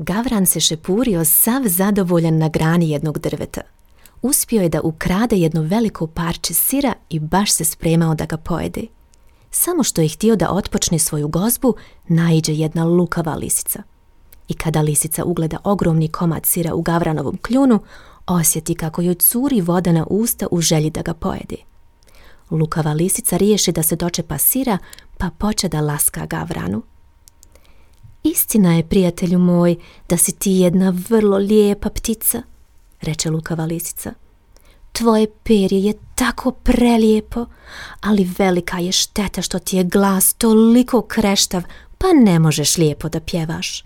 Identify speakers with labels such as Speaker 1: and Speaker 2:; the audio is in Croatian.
Speaker 1: Gavran se šepurio sav zadovoljan na grani jednog drveta. Uspio je da ukrade jedno veliko parče sira i baš se spremao da ga pojede. Samo što je htio da otpočne svoju gozbu, naiđe jedna lukava lisica. I kada lisica ugleda ogromni komad sira u Gavranovom kljunu, osjeti kako joj curi voda na usta u želji da ga pojede. Lukava lisica riješi da se dočepa sira, pa poče da laska Gavranu. Istina je, prijatelju moj, da si ti jedna vrlo lijepa ptica, reče lukava lisica. Tvoje perje je tako prelijepo, ali velika je šteta što ti je glas toliko kreštav, pa ne možeš lijepo da pjevaš.